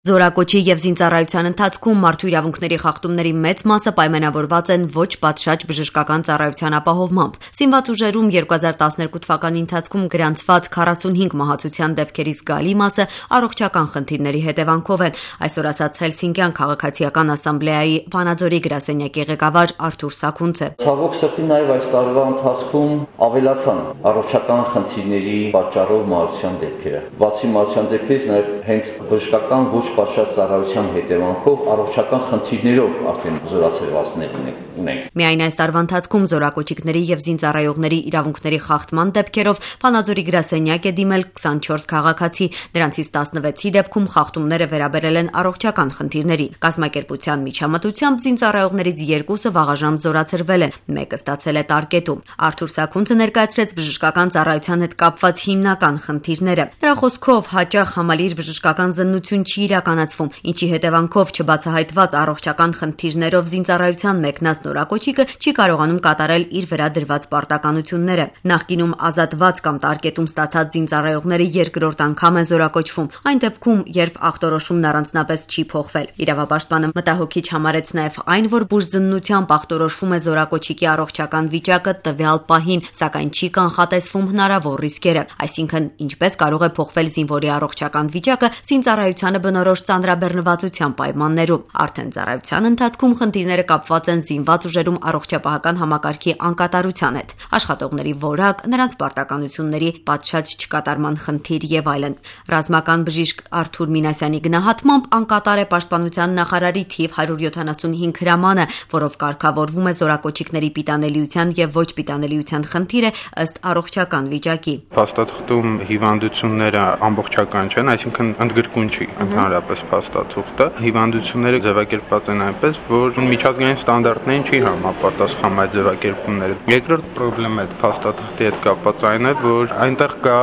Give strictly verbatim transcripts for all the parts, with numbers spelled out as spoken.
Զորակոչի եւ զինծառայության ընթացքում մարդու իրավունքների խախտումների մեծ մասը պայմանավորված են ոչ պատշաճ բժշկական ծառայության ապահովմամբ։ Զինված ուժերում երկու հազար տասներկու թվականի ընթացքում գրանցված քառասունհինգ մահացության դեպքերի զգալի մասը առողջական խնդիրների հետևանքով են, այսօր ասաց Հելսինկյան քաղաքացիական ասամբլեայի Վանաձորի գրասենյակի ղեկավար Արթուր Սաքունցը։ Ցավոք սրտի նաեւ այս տարվա ընթացքում ավելացան առողջական խնդիրների պատճառով մահացության դեպքերը։ Բացի մահացության դեպքերից նաեւ հենց բժշկական ոչ պատշաճ ծառայության հետևանքով առողջական խնդիրներով արդեն զորացրվածներ ունենք։ Միայն այս տարվա ընթացքում զորակոչիկների եւ զինծառայողների իրավունքների խախտման դեպքերով Վանաձորի գրասենյակ է դիմել քսանչորս քաղաքացի, նրանցից տասնվեցի դեպքում խախտումները վերաբերել են առողջական խնդիրների։ Կազմակերպության միջամտությամբ զինծառայողներից երկուսը վաղաժամ զորացրվել են, մեկը ստացել է տարկետում։ Արթուր Սաքունցը ներկայացրեց բժշկական ծառայության հետ կապված հիմնական խնդիրները։ Նրա խոսքով հաճախ համալիր բժշկական զննություն չի իրականացվում, ինչի հետևանքով չբացահայտված առողջական խնդիրներով զինծառայության մեկնած նորակոչիկը չի կարողանում կատարել իր վրա դրված պարտականությունները։ Նախկինում ազատված կամ տարկետում ստացած զինծառայողները երկրորդ անգամ են զորակոչվում, այն դեպքում, երբ ախտորոշումն առանձնապես չի փոխվել։ Իրավապաշտպանը մտահոգիչ համարեց նաև այն, որ բուժզննությամբ ախտորոշվում է զորակոչիկի առողջական վիճակը տվյալ պահին, սակայն չի կանխատեսվում հնարավոր ռիսկերը, այսինքն ինչպես կարող է փոխվել զինվորի առողջական վիճակը զինծառայությանը բնորոշ ծանրաբեռնվածության պայմաններում։ Արդեն ծառայության ընթացքում խնդիրները կապված են զինված ուժերում առողջապահական համակարգի անկատարության հետ, աշխատողների որակ, նրանց պարտականությունների պատշաճ չկատարման խնդիր եւ այլն։ Ռազմական բժիշկ Արթուր Մինասյանի գնահատմամբ անկատար է պաշտպանության նախարարի թիվ հարյուր յոթանասունհինգ հրամանը, որով կարգավորվում է զորակոչիկների պիտանելիության եւ ոչ պիտանելիության խնդիրը ըստ առողջական վիճակի։ Փաստաթղթում հիվանդությունները ամբողջական չեն, այսինքն ընդգրկուն չի ընդհանրապես փաստաթուղթը։ Հիվանդությունները ձևակերպված են այնպես, որ միջազգային ստանդարտներին չի համապատասխանում այդ ձևակերպումները։ Երկրորդ խնդրեմը փաստաթղթի հետ կապված այն է, որ այնտեղ կա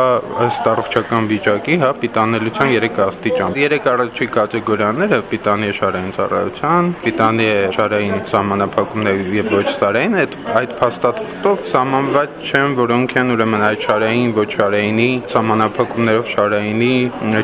ըստ առողջական վիճակի, հա, պիտանելիության երեք աստիճան։ Երեք առաջի կատեգորիաները՝ պիտանի շարային ծառայության, պիտանի շարային սահմանափակումներ եւ ոչ շարային, այդ այդ փաստաթղթով սահմանված չեն, որոնք են ուրեմն այդ շարային, ոչ շարայինի սահմանափակումներով շարայինի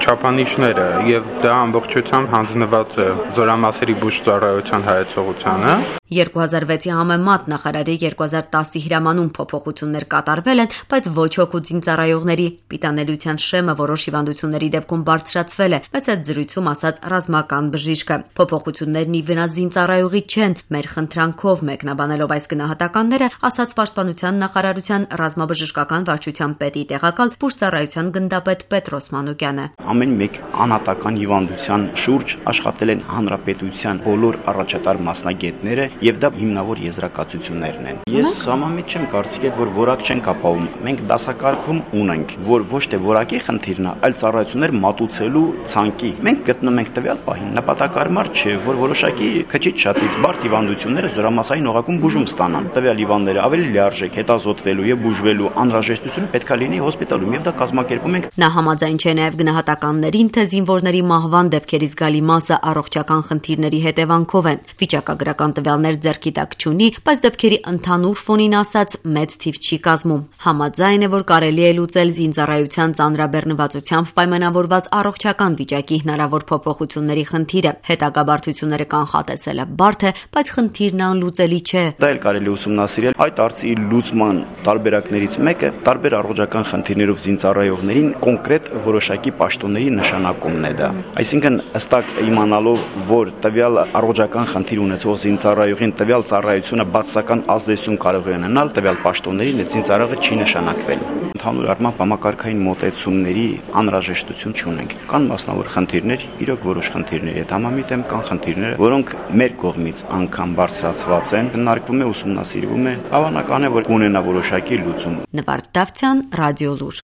չափանիշները, եւ դա ամբողջությամբ հանձնված է զորամասերի բուժծառայության հայեցողությանը։ երկու հազար վեցի համեմատ նախարարի երկու հազար տասի հրամանում փոփոխություններ կատարվել են, բայց ոչ հոգուց զինծառայողների պիտանելիության շեմը որոշ հիվանդությունների դեպքում բարձրացվել է, բայց այդ զրույցում ասաց ռազմական բժիշկը։ Փոփոխություններն ի վնաս զինծառայողի չեն, մեր խնդրանքով մեկնաբանելով այս գնահատականները, ասաց պաշտպանության նախարարության ռազմաբժշկական վարչության պետի տեղակալ բուժծառայության գնդապետ Պետրոս Մանուկյանը։ Ամեն մեկ անհատական հիվանդության շուրջ աշխատել են հանրապետության բոլոր առաջատար մասնագետները եւ դա հիմնավոր եզրակացություններն են։ Ես համամիտ չեմ կարծիքով, որ որակ չենք ապահովում։ Մենք դասակարգում ունենք, որ ոչ թե որակի խնդիրն է, այլ ծառայություններ մատուցելու ցանկի։ Մենք գտնում ենք տվյալ պահին նպատակարար չէ, որ որոշակի քչից շատից բարդ հիվանդությունները զորամասային օղակում բուժում ստանան։ Տվյալ հիվանդները ավելի լիարժեք հետազոտվելու եւ բուժվելու անհրաժեշտությունը պետք է լինի հոսպիտալում եւ դա կազմակերպում ենք։ Նա համաձայն չէ նաեւ գնահատականներին, թե զինվորների մահվան դեպքերի զգալի մասը առողջական խնդիրների հետևանքով են։ Վիճակագրական տվյալներ ձեռքի տակ չունի, բայց դեպքերի ընդհանուր ֆոնին ասած մեծ թիվ չի կազմում։ Համաձայն է, որ կարելի է լուծել զինծառայության ծանրաբեռնվածությամբ պայմանավորված առողջական վիճակի հնարավոր փոփոխությունների խնդիրը։ Հետագա բարդությունները կանխատեսելը բարդ է, բայց խնդիրն անլուծելի չէ։ Դա էլ կարելի ուսումնասիրել։ Այդ հարցի լուծման տարբերակներից մեկը տարբեր առողջական խնդիրներով զինծառայողներին կոնկրետ որոշակի պաշտոնների նշանակումն է դա։ Այսինքն հստակ իմանալով, որ տվյալ առողջական խնդիր ունեցող զինծառայողին տվյալ ծառայությունը բացասական ազդեցություն կարող է ունենալ տվյալ պաշտոններին, այդ զինծառայողը չի նշանակվել։ Ընդհանուր առմամբ համակարգային մոտեցումների անհրաժեշտություն չունենք։ Կան մասնավոր խնդիրներ, իրոք որոշ խնդիրների հետ համամիտ եմ, կան խնդիրներ, որոնք մեր կողմից անգամ բարձրացված են, քննարկվում է, ուսումնասիրվում է, հավանական է, որ կունենա որոշակի լուծում։ Նվարդ Դավթյան, Ռադիոլուր։